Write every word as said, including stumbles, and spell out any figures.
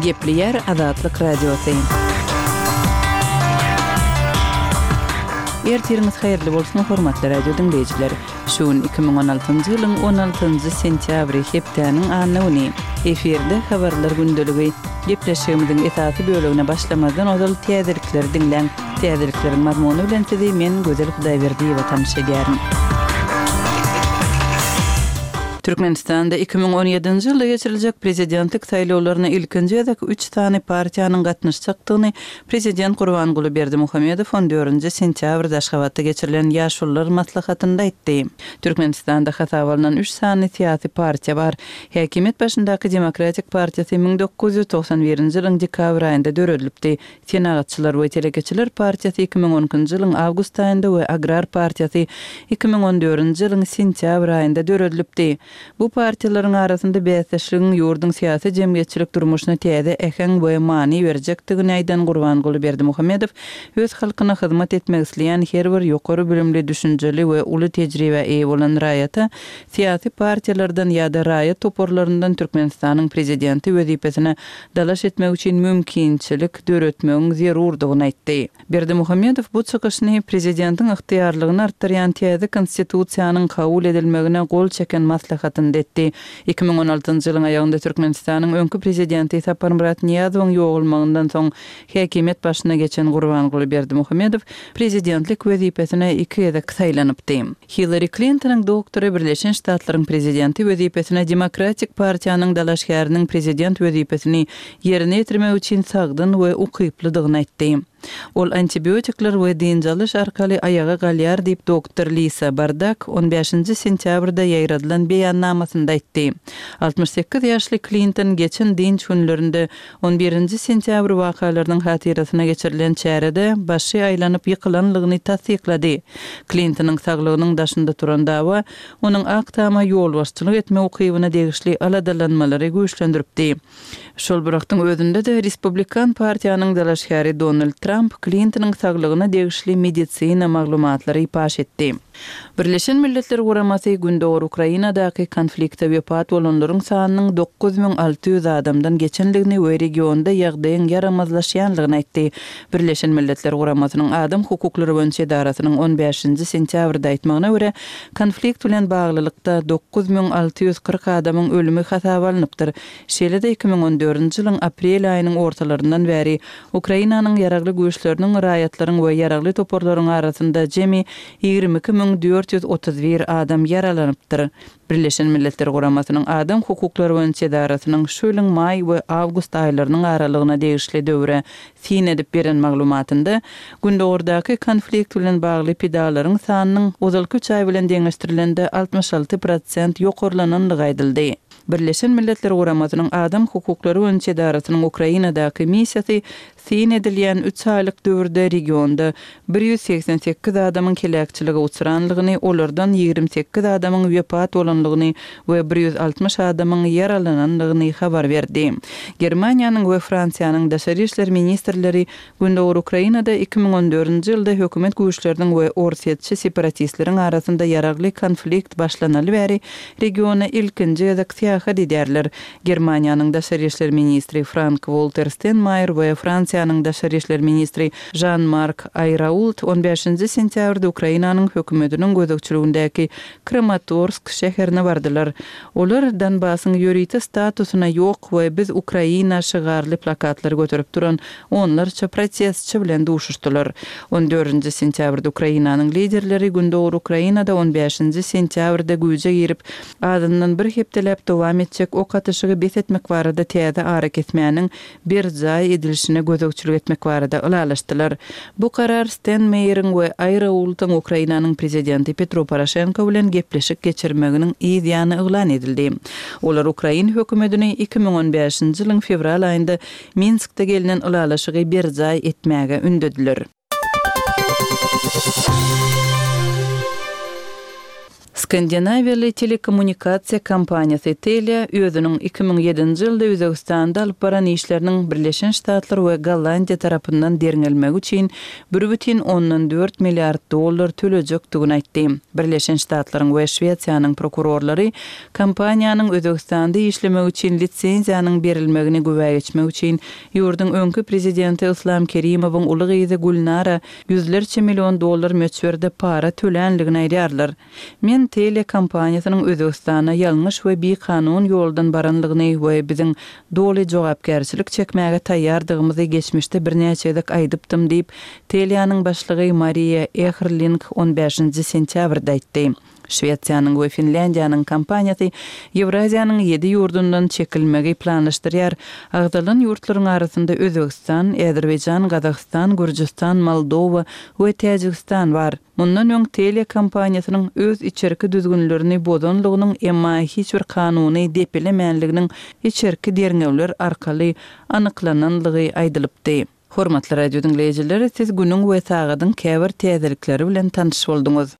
Gepleýär Azatlyk Radiosy. Ertiriňiz haýyrly bolsun, hormatly radio diňleýjiler. Şu gün iki müň on altynjy ýylyň on altynjy sentýabry, hepdäniň anna güni. Efirde habarlar gündeligi. Gepleşigimiziň esasy bölegine başlamazdan ozal täzelikleri diňläň. Täzelikleriň mazmuny bilen sizi men Gözel Hudaýberdiýewa tanyş edýärin. Türkmenistanda iki müň on ýedinji ýylda geçiriljek prezidentlik saýlawlaryna ilkinji gezek üç sany partiýanyň gatnaşjakdygyny prezident Gurbanguly Berdimuhamedow on dördünji sentýabrda Aşgabatda geçirilen Ýaşulular maslahatynda aýtdy. Türkmenistanda hasaba alnan üç sany syýasy partiýa bar. Häkimiýet başyndaky Demokratik partiýasy müň dokuz ýüz togsan birinji ýylyň dekabr aýynda döredilipdi. Senagatçylar we telekeçiler partiýasy iki müň on ikinji ýylyň awgust aýynda we Agrar partiýasy iki müň on dördünji ýylyň sentýabr aýynda döredilipdi. Bu partiýalaryň arasynda bäsdeşligiň ýurduň syýasy jemgyýetçilik durmuşyna täze äheň we many berjekdigini aýdan Gurbanguly Berdimuhamedow öz halkyna hyzmat etmek isleýän her bir ýokary bilimli, düşünjeli we uly tejribä eýe bolan raýata syýasy partiýalardan ýa-da raýat toparlaryndan Türkmenistanyň prezidenti wezipesine dalaş etmek üçin mümkinçilik döretmegiň zerurdygyny aýtdy. Berdimuhamedow bu çykyşyny prezidentiň ygtyýarlygyny artdyrýan täze konstitusiýanyň kabul edilmegine gol çeken maslahatynda etdi. Iki müň on altynjy ýylyň aýagynda Türkmenistanyň öňki prezidenti Saparmyrat Nyýazowyň ýogalmagyndan soň häkimiýet başyna geçen Gurbanguly Berdimuhamedow prezidentlik wezipesine iki gezek saýlanypdy. Hillary Clintonyň doktory Birleşen Ştatlaryň prezidenti wezipesine Demokratik partiýanyň dalaşgäriniň prezident wezipesini ýerine ýetirmek üçin sagdyn we ukyplydygyny aýtdy. Ol antibiotikler we dynç alyş arkaly aýaga galýar diýip doktor Lisa Bardak on bäşinji sentýabrda ýaýradylan beýannamasynda aýtdy. Altmyş sekiz ýaşly Clinton geçen dynç günlerinde on birinji sentýabr wakalarynyň hatyrasyna geçirilen çärede başy aýlanyp ýykylanlygyny tassyklady. Clintonyň saglygynyň daşynda turan dawa onuň Ak Tama ýolbaşçylyk etme ukybyna degişli aladalanmalary güýçlendiripdi. Şol bir wagtyň özünde-de Respublikan partiýanyň dalaşgäri Donald Trump Clintonyň saglygyna degişli medisina maglumatlary paş etdi. Birleşen Milletler Guramasy Gündogar Ukrainadaky konflikte wepat bolanlaryň sanynyň dokuz müň alty ýüz adamdan geçenligini we regionda ýagdaýyň ýaramazlaşýanlygyny aýtdy. Birleşen Milletler Guramasynyň Adam hukuklary boýunça edarasynyň on bäşinji sentýabrda aýtmagyna görä, konflikt bilen baglylykda dokuz müň alty ýüz kyrk adamyň ölümi hasaba alnypdyr. Şeýle-de iki müň on dördünji ýylyň aprel aýynyň ortalaryndan bäri Ukrainanyň ýaragly güýçleriniň, raýatlaryň we ýaragly toparlaryň arasynda jemi ýigrimi iki müň dört ýüz otuz bir adam ýaralanypdyr. Birleşen Milletler Guramasynyň Adam hukuklary boýunça edarasynyň şu ýylyň maý we awgust aýlarynyň aralygyna degişli döwre syn edip beren maglumatynda Gündogardaky konflikt bilen bagly pidalaryň sanynyň ozalky üç aý bilen deňeşdirilende altmyş alty prosent ýokarlananlygy aýdyldy. Birleşen Milletler Guramasynyň Adam hukuklary boýunça edarasynyň Ukrainadaky missiýasy syn edilýän üç aýlyk döwürde regionda bir ýüz segsen sekiz adamyň heläkçilige uçranlygyny, olardan ýigrimi sekiz adamyň wepat bolanlygyny we bir ýüz altmyş adamyň ýaralananlygyny habar berdi. Germaniýanyň we Fransiýanyň daşary işler ministrleri Gündogar Ukrainada iki müň on dördünji ýylda hökümet güýçleriniň we orsýetçi separatistleriň arasynda ýaragly konflikt başlanaly bäri regiona ilkinji gezek syýahat edýärler. Germaniýanyň daşary işler ministri Frank-Walter Steinmeier we Fransiýanyň daşary işler ministri Jean-Marc Ayrault on bäşinji sentýabrda Ukrainanyň hökümetiniň gözegçiligindäki Kramatorsk şäherine bardylar. Olar Donbasyň ýörite statusyna ýok we biz Ukraina şygarly plakatlary göterip duran onlarça protestçi bilen duşuşdylar. On dördünji sentýabrda Ukrainanyň liderleri Gündogar Ukrainada on bäşinji sentýabrda güýje girip, azyndan bir hepdeläp dowam etjek ok atyşygy bes etmek barada täze arakesmäniň berjaý edilişine gözegçilik etmek barada ylalaşdylar. Bu karar Steinmeieriň we Ayraultyň Ukrainanyň prezidenti Petro Poroşenko bilen gepleşik geçirmeginiň yz ýany yglan edildi. Olar Ukrain hökümetini iki müň on bäşinji ýylyň fewral aýynda Minskde gelinen ylalaşygy berjaý etmäge ündediler. Skandinawiýaly telekommunikasiýa kompaniýasy Telia özüniň iki müň ýedinji ýylda Özbegistanda alyp baran işleriniň Birleşen Ştatlar we Gollandiýa tarapyndan derňelmegi üçin bir bütin ondan dört milliard dollar tölejekdigini aýtdy. Birleşen Ştatlaryň we Şwesiýanyň prokurorlary kompaniýanyň Özbegistanda işlemegi üçin lisenziýanyň berilmegini güwä geçmek üçin ýurduň öňki prezidenti Yslam Kerimowyň uly gyzy Gülnara ýüzlerçe million dollar möçberde para tölänligini aýdýarlar. Men Telia kompaniýasynyň Özbegistana ýalňyş we bikanun ýoldan baranlygyny we biziň doly jogapkärçilik çekmäge taýýardygymyzy geçmişde birnäçe gezek aýdypdym diýip, Telianyň başlygy Mariýa Ehrling on bäşinji sentýabrda aýtdy. Şwesiýanyň we Finlýandiýanyň kompaniýasy Ýewraziýanyň ýedi ýurdundan çekilmegi planlaşdyrýar. Agzalan ýurtlaryň arasynda Özbegistan, Azerbaýjan, Gazagystan, Gürjüstan, Moldowa we Täjigistan bar. Mundan öň Telia kompaniýasynyň öz içerki düzgünlerini bozanlygynyň, emma hiç bir kanuny depelemänliginiň içerki derňewler arkaly anyklananlygy aýdylypdy. Hormatly radio diňleýjiler, siz günüň we sagadyň käbir täzelikleri bilen tanyş bolduňyz.